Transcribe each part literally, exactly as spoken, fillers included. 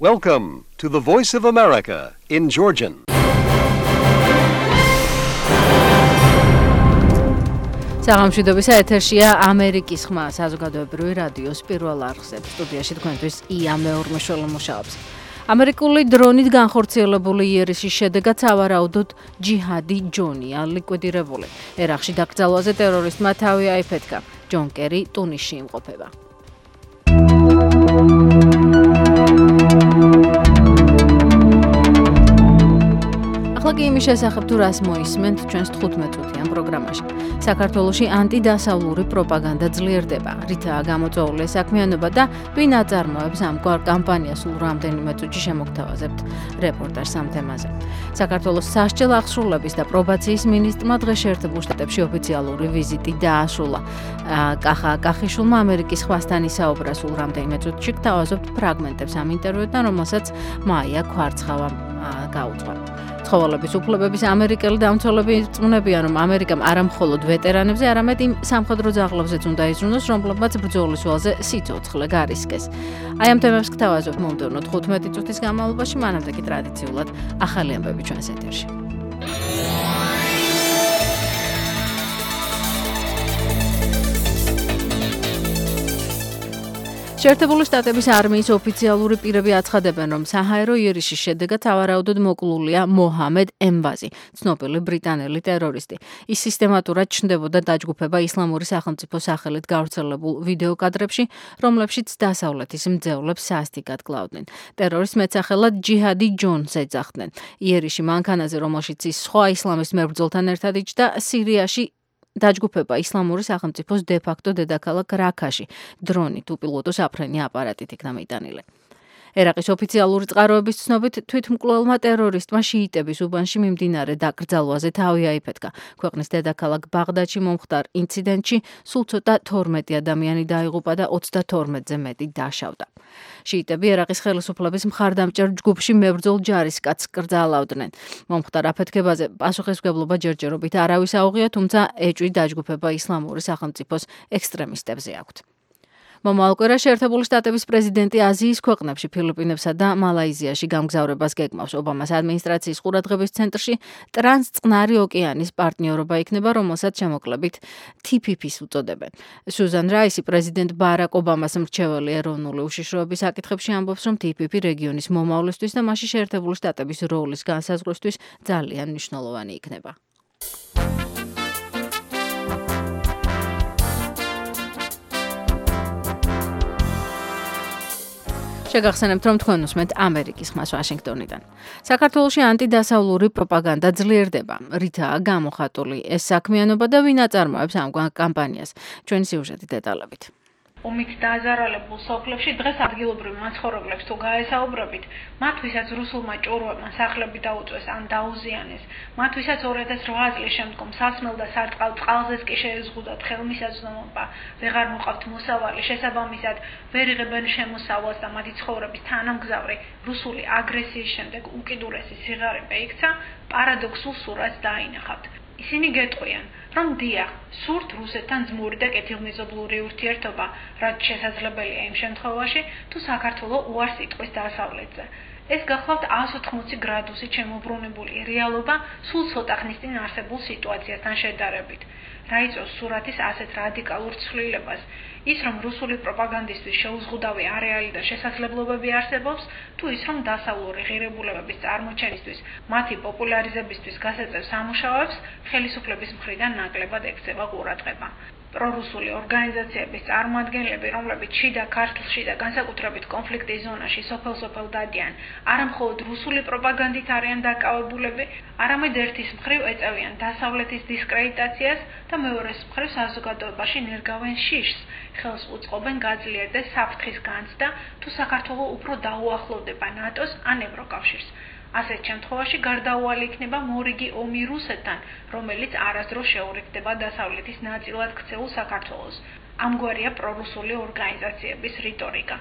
Welcome to the Voice of America in Georgian. საღამოშვიდობისა ეთერშია ამერიკის ხმა საზოგადოებრივი რადიოს პირველ არხზე. სტუდიაში თქვენთვის ია მეორმეშველი მუშაობს. ამერიკული დრონით განხორციელებული იერიშის შედეგად სავარაუდოდ ჯიჰადი ჯონია ლიკვიდირებული. ერაყში დაკრძალვაზე ტერორისტმა თავი აიფეთქა. ჯონ კერი ტუნისში იმყოფება. ახლა კი იმის შესახებ თუ რას მოისმენთ ჩვენს თხუთმეტ წუთიან პროგრამაში. საქართველოში ანტიდასავლური პროპაგანდა ძლიერდება. რითაა გამოწვეული საქმიანობა და ვინ აწარმოებს ამგვარ კამპანიას სულ რამდენიმე წუთში შემოგთავაზებთ რეპორტაჟს ამ თემაზე. საქართველოს სასჯელ აღსრულების და პრობაციის მინისტრმა დღეს შეერთებულ შტატებში ოფიციალური ვიზიტი დაასრულა. კახა კახიშვილმა ამერიკის ხვასთან ისაუბრა სულ რამდენიმე წუთში. გთავაზობთ ფრაგმენტებს ამ ინტერვიუდან, რომელსაც მაია ქვარცხავა გაუძღვა. ცხოველების უფლებების ამერიკელი დამცველები ირწმუნებიან, რომ ამერიკამ არა მხოლოდ ვეტერანებზე, არამედ იმ სამხედრო ძაღლებზეც უნდა იზრუნოს, რომლებმაც ბრძოლის ველზე სიცოცხლე გარისკეს. აი ამ თემებს გთავაზობთ მომდევნო თხუთმეტი წუთის განმავლობაში, მანამდე კი ტრადიციულად ახალი ამბები ჩვენს ეთერში. შეერთებული შტატების არმიის ოფიციალური პირები აცხადებენ, რომ საჰაერო იერიშის შედეგად სავარაუდოდ მოკლულია მოჰამედ ემბაზი, ცნობილი ბრიტანელი ტერორისტი. ის სისტემატურად ჩნდებოდა დაჯგუფება ისლამური სახელმწიფოს სახელით გავრცელებულ ვიდეოკადრებში, რომლებშიც დასავლეთის მძევლებს სასტიკად კლავდნენ. ტერორისტს მეტსახელად ჯიჰადი ჯონს ეძახდნენ. იერიში მანქანაზე, რომელშიც ის სხვა ისლამის მებრძოლთან ერთად იჯდა, სირიაში დაჯგუფება ისლამური სახელმწიფოს დე-ფაქტო დედაქალაქ რაქაში დრონით უპილოტო საფრენი აპარატით იქნა მიტანილი. ერაყის ოფიციალური წყაროების ცნობით თვითმკვლელმა ტერორისტმა შიიტების უბანში მიმდინარე დაკრძალვაზე თავი აიფეთქა. ქვეყნის დედაქალაქ ბაღდადში მომხდარ ინციდენტში სულ ცოტა თორმეტი ადამიანი დაიღუპა და ოცდათორმეტზე მეტი დაშავდა. შიიტები ერაყის ხელისუფლების მხარდამჭერ ჯგუფში მებრძოლ ჯარისკაცს კრძალავდნენ. მომხდარ აფეთქებაზე პასუხისმგებლობა ჯერჯერობით არავის აუღია, თუმცა ეჭვი დაჯგუფება ისლამური სახელმწიფოს ექსტრემისტებზე აქვთ. მომავალ კვირაში შეერთებული შტატების პრეზიდენტი აზიის ქვეყნებში, ფილიპინებსა და მალაიზიაში გამგზავრებას გეგმავს. ობამას ადმინისტრაციის ყურადღების ცენტრში ტრანსწყნარი ოკეანის პარტნიორობა იქნება, რომელსაც შემოკლებით თი პი პი-ს უწოდებენ. სუზან რაისი პრეზიდენტ ბარაკ ობამას მრჩეველი ეროვნული უშიშროების საკითხებში ამბობს, რომ თი პი პი რეგიონის მომავლისთვის და მასში შეერთებული შტატების როლის განსაზღვრისთვის ძალიან მნიშვნელოვანი იქნება. შეგახსენებთ, რომ თქვენ უსმენთ ამერიკის ხმას ვაშინგტონიდან. საქართველოში ანტიდასავლური პროპაგანდა ძლიერდება. რითაა გამოხატული ეს საქმიანობა და ვინ აწარმოებს ამ კამპანიას? ჩვენი სიუჟეტი დეტალებით. ომით დაზარალებულ სოფლებში დღეს ადგილობრივ მაცხოვრებლებს თუ გაესაუბრებით, მათ ვისაც რუსულმა ჭურვებმა სახლები დაუწვეს ან დაუზიანეს, მათ ვისაც ორი ათას რვა წლის შემდგომ სასმელ და სარწყავ წყალზეც კი შეეზღუდათ ხელმისაწვდომობა, ვეღარ მოყავთ მოსავალი, შესაბამისად ვერ იღებენ შემოსავალს და მათი ცხოვრების თანამგზავრი რუსული აგრესიის შემდეგ უკიდურესი სიღარიბე იქცა, პარადოქსულ სურათს დაინახავთ. ისინი გეტყვიან, რომ დიახ, სურთ რუსეთთან ძმური და კეთილმეზობლური ურთიერთობა, რაც შესაძლებელია იმ შემთხვევაში, თუ საქართველო უარს იტყვის დასავლეთზე. ეს გახლავთ ას ოთხმოცი გრადუსით შემოbrunებული რეალობა სულ ცოტა ხნის წინ არსებულ სიტუაციასთან შედარებით. რა იწვევს სურათის ასეთ რადიკალურ ცვლილებას? ის, რომ რუსული პროპაგანდისტვის შეუზღუდავი არეალი და შესაძლებლობები არსებობს, თუ ის, რომ დასავლური ღირებულებების წარმოჩენისთვის, მათი პოპულარიზებისთვის გასაწევ სამუშაოებს ხელისუფლების მხრიდან ნაკლებად ექცევა ყურადღება. პრორუსული ორგანიზაციების წარმოადგენლები, რომლებიც შიდა ქართლში და განსაკუთრებით კონფლიქტის ზონაში სოფელ-სოფელ დადიან, არა მხოლოდ რუსული პროპაგანდით არიან დაკავებულები, არამედ ერთის მხრივ ეწევიან დასავლეთის დისკრედიტაციას და მეორეს მხრივ საზოგადოებაში ნერგავენ შიშს, ხელს უწყობენ გაძლიერდეს საფრთხის განცდა, თუ საქართველო უფრო დაუახლოვდება ნატოს ან ევროკავშირს. ასეთ შემთხვევაში გარდაუვალი იქნება მორიგი ომი რუსეთთან, რომელიც არასდროს შეურიგდება დასავლეთის ნაწილად ქცეულ საქართველოს. ამგვარია პრორუსული ორგანიზაციების რიტორიკა.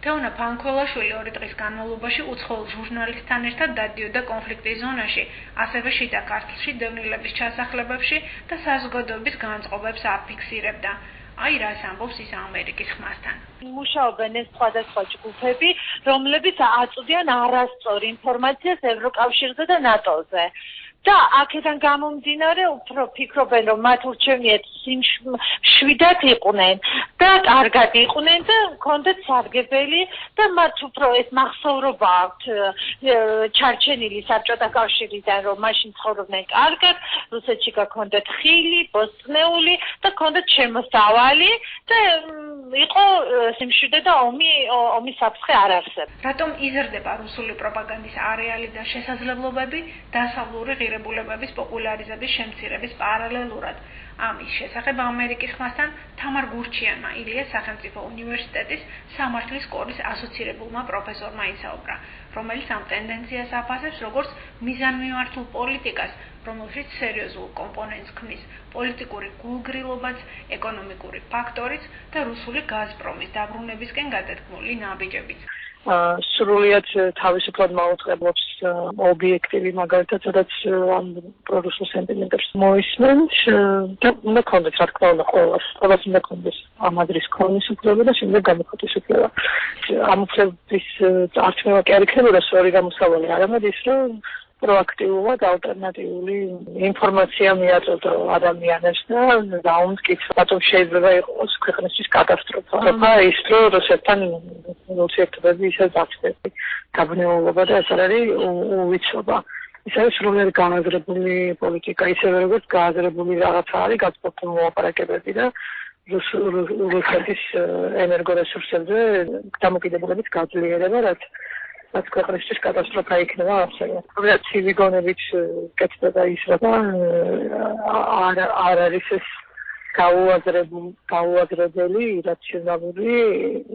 თეონა ფანქველაშვილი ორი დღის განმავლობაში უცხოელ ჟურნალისტთან ერთად დადიოდა კონფლიქტის ზონაში, ასევე შიდა ქართლში დევნილების ჩასახლებებში და საზოგადოების განწყობებს აფიქსირებდა. აი რას ამბობს ის ამერიკის ხმასთან. მუშაობენ ეს სხვადასხვა ჯგუფები, რომლებიც აწვდიან არასწორ ინფორმაციას ევროკავშირზე და ნატოზე. და აქედან გამომდინარე უფრო ფიქრობენ რომ მათ ურჩევნიათ შვიდად იყვნენ და კარგად იყვნენ და ჰქონდათ სარგებელი და მათ უფრო ეს მახსოვრობა აქვთ ჩარჩენილი საბჭოთა კავშირიდან რომ მაშინ ცხოვრობდნენ კარგად, რუსეთში გაქონდათ ხილი, ბოსტნეული და ჰქონდათ შემოსავალი და იყო სიმშვიდე და ომი ომის საფრთხე არ არსებობს. რატომ იზრდება რუსული პროპაგანდის არეალი და შესაძლებლობები დასავლური ღირებულებების პოპულარიზების შემცირების პარალელურად? ამის შესახებ ამერიკის ხმასთან თამარ გურჩიანმა ილიას სახელმწიფო უნივერსიტეტის სამართლის სკოლის ასოცირებულმა პროფესორმა ისაუბრა, რომელიც ამ ტენდენციას აფასებს როგორც მიზანმიმართულ პოლიტიკას, რომელშიც სერიოზულ კომპონენტს ქმნის პოლიტიკური გულგრილობაც, ეკონომიკური ფაქტორიც და რუსული გაზპრომის დაბრუნებისკენ გადადგმული ნაბიჯებიც. სრულიად თავისუფლად მაუწყებლობს ობიექტივი მაგალითად, სადაც ამ პრორუსულ სენტიმენტებს მოისმენ და უნდა ქონდეს, რა თქმა უნდა, ყველას, ყველას უნდა ქონდეს ამ ადრის ქონის უფლება და შემდეგ გამოხატვის უფლება. ამ უფლების წარჩევა კი არ იქნებოდა სწორი გამოსავალი, არამედ ის, რომ პროაქტიულად ალტერნატიული ინფორმაცია მიაწოდო ადამიანებს და დაუმტკიცო, რატომ შეიძლება იყოს ქვეყნისთვის კატასტროფა. ის რომ რუსეთთან ურთიერთობები ისე დაცდები, გაბნეულობა და ეს არ არის უვიცობა. ის არის სრულიად განაზრებული პოლიტიკა, ისევე როგორც განაზრებული რაღაცა არის გაწყვეტილი მოლაპარაკებები და რუსეთის ენერგორესურსებზე დამოკიდებულების გაძლიერება, რაც რაც ქვეყნისთვის კატასტროფა იქნება ასევე. რომელიც ცივი გონებით კეთდება ის რა და არ არ არის ეს გაუაზრებული გაუაზრებელი რაციონალური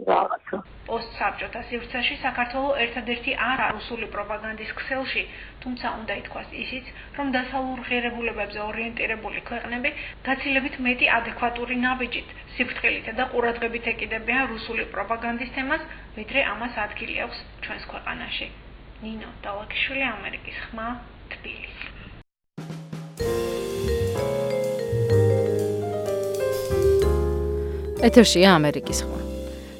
რაღაცა. პოსტსაბჭოთა სივრცეში საქართველო ერთადერთი არა რუსული პროპაგანდის ქსელში, თუმცა უნდა ითქვას ისიც, რომ დასავლურ ღირებულებებზე ორიენტირებული ქვეყნები გაცილებით მეტი ადეკვატური ნაბიჯით, სიფრთხილით და ყურადღებით ეკიდებიან რუსული პროპაგანდის თემას, ვიდრე ამას ადგილი აქვს ჩვენს ქვეყანაში. ნინო დალაკიშვილი, ამერიკის ხმა, თბილისი. ეთერშია ამერიკის ხმა.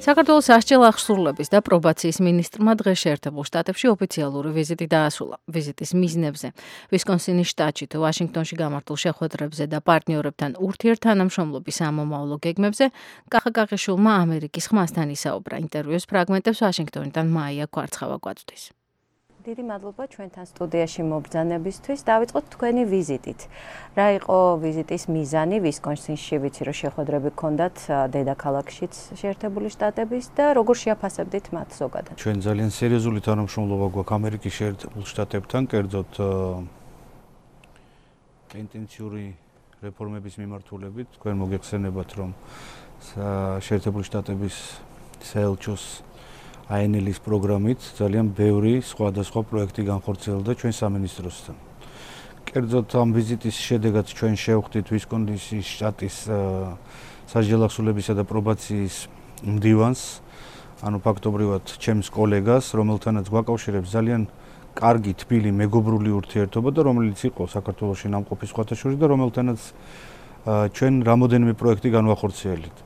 საქართველოს სასჯელ აღსრულების და პრობაციის მინისტრმა დღეს შეერთებულ შტატებში ოფიციალური ვიზიტი დაასრულა. ვიზიტის მიზნებზე ვისკონსინის შტატში თუ ვაშინგტონში გამართულ შეხვედრებზე და პარტნიორებთან ურთიერთთანამშრომლობის ამომავლო გეგმებზე კახა კაყიშვილმა ამერიკის ხმასთან ისაუბრა. ინტერვიუს ფრაგმენტებს ვაშინგტონიდან მაია კვარცხავა გვაწვდის. დიდი მადლობა ჩვენთან სტუდიაში მობრძანებისთვის. დავიწყოთ თქვენი ვიზიტით. რა იყო ვიზიტის მიზანი ვისკონსინში, ვიცი რომ შეხვედრები გქონდათ დედაქალაქშიც შეერთებული შტატების და როგორ შეაფასებდით მათ ზოგადად? ჩვენ ძალიან სერიოზული თანამშრომლობა გვაქვს ამერიკის შეერთებულ შტატებთან, კერძოდ ინტენსიური რეფორმების მიმართულებით. თქვენ მოგეხსენებათ, რომ შეერთებული შტატების საელჩოს აი ენ ელ-ის პროგრამით ძალიან ბევრი სხვადასხვა პროექტი განხორციელდა ჩვენ სამინისტროსთან. კერძოდ ამ ვიზიტის შედეგად ჩვენ შევხვდით ვისკონსინის შტატის სასჯელ აღსრულებისა და პრობაციის მდივანს, ანუ ფაქტობრივად ჩემს კოლეგას, რომელთანაც გვაკავშირებს ძალიან კარგი, თბილი, მეგობრული ურთიერთობა და რომელიც იყო საქართველოში ნამყოფი სხვათა შორის და რომელთანაც ჩვენ რამოდენიმე პროექტი განვახორციელეთ.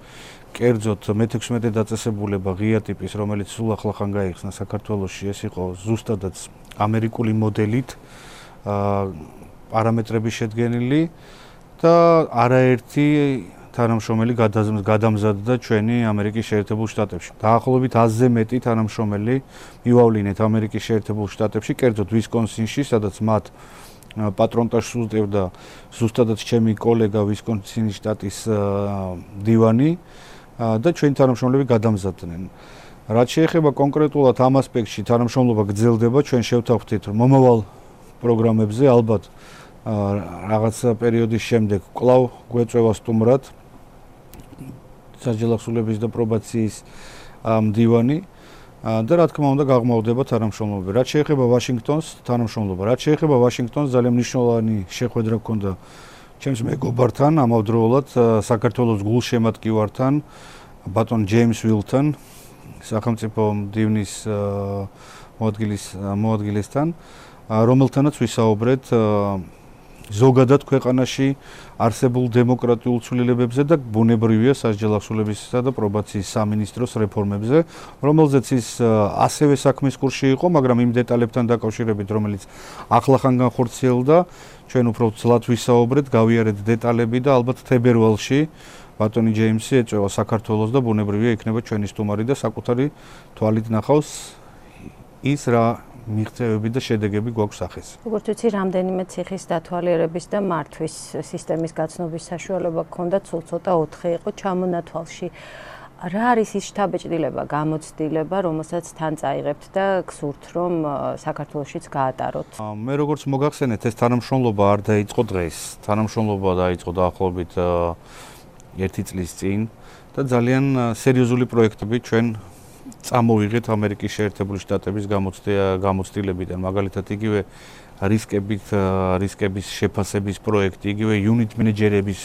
კერძოდ მეთექვსმეტე დაწესებულება ღია ტიპის, რომელიც სულ ახლახან გაიხსნა საქართველოში, ეს იყო ზუსტადაც ამერიკული მოდელით პარამეტრების შედგენილი და არაერთი თანამშრომელი გადამზადდა ჩვენი ამერიკის შეერთებულ შტატებში. დაახლოებით ათზე მეტი თანამშრომელი მივავლინეთ ამერიკის შეერთებულ შტატებში, კერძოდ ვისკონსინში, სადაც მათ პატრონტაჟს უდევდა ზუსტადაც ჩემი კოლეგა ვისკონსინის შტატის მდივანი და ჩვენი თანამშრომლები გადამზადდნენ. რაც შეეხება კონკრეტულად ამ ასპექტში თანამშრომლობა გრძელდება, ჩვენ შევთანხმდით, რომ მომავალ პროგრამებზე ალბათ რაღაცა პერიოდის შემდეგ კვლავ გვეწევა სტუმრად სასჯელ აღსრულების და პრობაციის მდივანი და რა თქმა უნდა გაღმავდება თანამშრომლობები. რაც შეეხება ვაშინგტონს, თანამშრომლობა, რაც შეეხება ვაშინგტონს, ძალიან მნიშვნელოვანი შეხვედრა ჰქონდა ჩემს მეგობართან, ამავდროულად საქართველოს გულშემატკივართან, ბატონ ჯეიმს ვილთან, სახელმწიფო მდივნის მოადგილის მოადგილესთან, რომელთანაც ვისაუბრეთ ზოგადად ქვეყანაში არსებულ დემოკრატიულ ცვლილებებზე და ბუნებრივია სასჯელ ახსოვლებისა და პრობაციის სამინისტროს რეფორმებზე, რომელზეც ის ასევე საქმის კურსში იყო, მაგრამ იმ დეტალებთან დაკავშირებით, რომელიც ახლახან განხორციელდა, ჩვენ უფრო ცლად ვისაუბრეთ, გავიარეთ დეტალები და ალბათ თებერვალში ბატონი ჯეიმსი ეწევა საქართველოს და ბუნებრივია იქნება ჩვენი სტუმარი და საკუთარი თვალით ნახავს ის რა მიღწევები და შედეგები გვაქვს სახეს. როგორც ვიცი, რამდენიმე ციხის დათვალიერების და მართვის სისტემის გაცნობის საშუალება გქონდა, სულ ცოტა ოთხი იყო ჩამონათვალში. რა არის ის შთაბეჭდილება, გამოცდილება, რომელსაც თან წაიღებთ და გსურთ, რომ საქართველოშიც გაატაროთ? მე როგორც მოგახსენეთ, ეს თანამშრომლობა არ დაიწყო დღეს. თანამშრომლობა დაიწყო დაახლოებით ერთი წლის წინ და ძალიან სერიოზული პროექტები ჩვენ წამოვიღეთ ამერიკის შეერთებული შტატების გამოცდილებიდან, მაგალითად იგივე რისკებით რისკების შეფასების პროექტი, იგივე unit მენეჯერების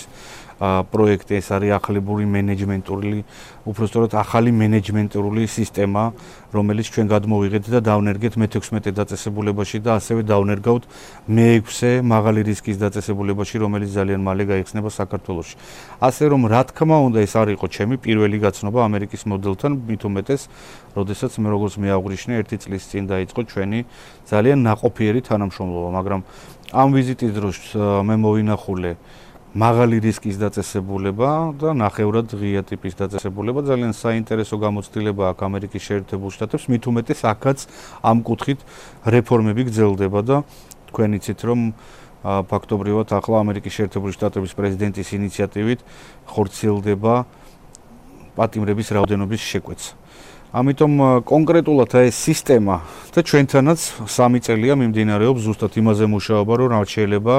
პროექტი, ეს არის ახალებული მენეჯმენტური, უпростоრად ახალი მენეჯმენტური სისტემა, რომელიც ჩვენ გადმოვიღეთ და დავნერგეთ მეთექვსმეტე დაწესებულებაში და ასევე დავნერგავთ მეექვსე მაღალი რისკის დაწესებულებაში, რომელიც ძალიან მალე გაიხსნება საქართველოში. ასე რომ, რა თქმა უნდა, ეს არ იყო ჩემი პირველი გაცნობა ამერიკის მოდელთან, მით უმეტეს, როდესაც მე როგორც მეაღვნიშნე, ერთი წლის წინ დაიწყო ჩვენი ძალიან ნაყოფიერი თანამშრომლობა, მაგრამ ამ ვიზიტის დროს მე მოვინახულე მაღალი რისკის დაწესებულება და ნახევრად ღია ტიპის დაწესებულება, ძალიან საინტერესო გამოცდილება აქვს ამერიკის შეერთებულ შტატებს, მით უმეტეს აქაც ამ კუთხით რეფორმები გრძელდება და თქვენ იცით, რომ ფაქტობრივად ახლა ამერიკის შეერთებული შტატების პრეზიდენტის ინიციატივით ხორციელდება პატიმრების რაოდენობის შეკვეცა. ამიტომ კონკრეტულად ეს სისტემა და ჩვენთანაც სამი წელია მიმდინარეობს ზუსტად იმაზე მუშაობა, რომ რა შეიძლება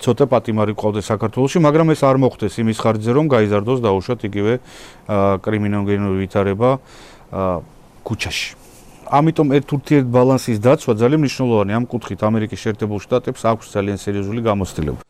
ცოტა პატიმარი ყავდეს საქართველოში, მაგრამ ეს არ მოხდეს იმის ხარჯზე, რომ გაიზარდოს დაუშვათ იგივე კრიმინოლოგიური ვითარება ქუჩაში. ამიტომ ერთ ურთიერთ ბალანსის დაცვა ძალიან მნიშვნელოვანია ამ კუთხით ამერიკის შეერთებულ შტატებს აქვს ძალიან სერიოზული გამოცდილება.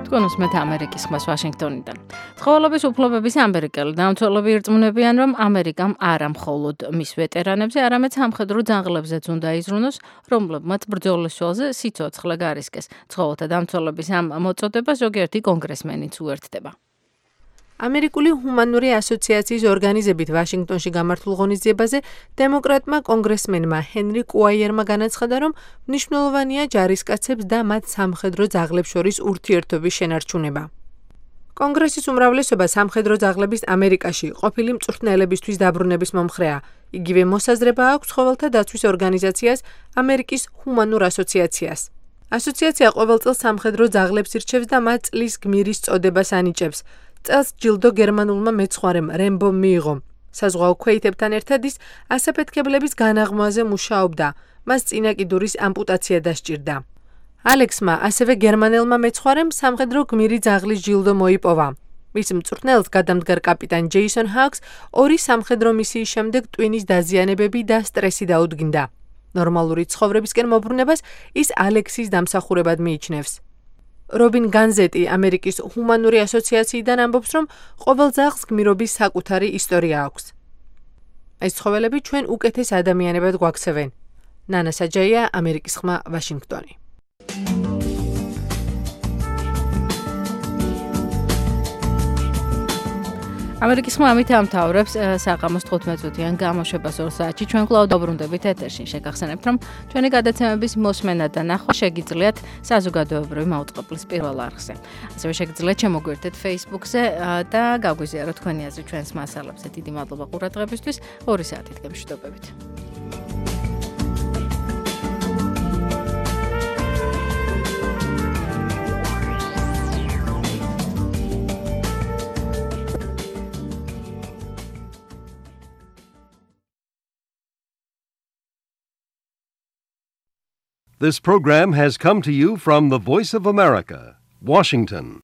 თქვენ უსმენთ ამერიკის ხმას ვაშინგტონიდან. ცხოველების უფლებების ამერიკელი დამცველები ირწმუნებიან, რომ ამერიკამ არა მხოლოდ მის ვეტერანებზე, არამედ სამხედრო ძაღლებზეც უნდა იზრუნოს, რომლებმაც ბრძოლის ველზე სიცოცხლე გარისკეს. ცხოველთა დამცველების ამ მოწოდებას ზოგიერთი კონგრესმენიც უერთდება. ამერიკული ჰუმანური ასოციაციის ორგანიზებით ვაშინგტონში გამართულ ღონისძიებაზე დემოკრატმა კონგრესმენმა ჰენრი კუაიერმა განაცხადა, რომ მნიშვნელოვანია ჯარისკაცებს და მათ სამხედრო ძაღლებს შორის ურთიერთობის შენარჩუნება. კონგრესის უმრავლესობა სამხედრო ძაღლების ამერიკაში ყოფილი მწვრთნელებისთვის დაბრუნების მომხრეა. იგივე მოსაზრება აქვს ცხოველთა დაცვის ორგანიზაციას ამერიკის ჰუმანურ ასოციაციას. ასოციაცია ყოველ წელს სამხედრო ძაღლებს ირჩევს და მათ წლის გმირის წოდებას ანიჭებს. წელს ჯილდო გერმანულმა მეცხვარემ რემბომ მიიღო. საზღვაო ქვეითებთან ერთად ის ასაფეთქებლების განაღმვაზე მუშაობდა. მას წინა კიდურის ამპუტაცია დასჭირდა. ალექსმა, ასევე გერმანელმა მეცხვარემ სამხედრო გმირი ძაღლის ჯილდო მოიპოვა. მის მწვრთნელს გადამდგარ კაპიტან ჯეისონ ჰაკს ორი სამხედრო მისიის შემდეგ ტვინის დაზიანებები და სტრესი დაუდგინდა. ნორმალური ცხოვრებისკენ მობრუნებას ის ალექსის დამსახურებად მიიჩნევს. რობინ განზეტი ამერიკის ჰუმანური ასოციაციიდან ამბობს, რომ ყოველ ძაღლს გმირობის საკუთარი ისტორია აქვს. ეს ცხოველები ჩვენ უკეთეს ადამიანებად გვაქცევენ. ნანა საჯაია, ამერიკის ხმა, ვაშინგტონი. ამერიკის ხმა ამით ამთავრებს საღამოს თხუთმეტ წუთიან გამოშვებას ორ საათში. ჩვენ კვლავ დაბრუნდებით ეთერში. შეგახსენებთ, რომ ჩვენი გადაცემების მოსმენა და ნახვა შეგიძლიათ საზოგადოებრივი მაუწყებლის პირველ არხზე. ასევე შეგიძლიათ შემოგვერთეთ Facebook-ზე და გაგვიზიაროთ თქვენი აზრი ჩვენს მასალებზე. დიდი მადლობა ყურადღებისთვის. ორი საათით გემშვიდობებით. This program has come to you from the Voice of America, Washington.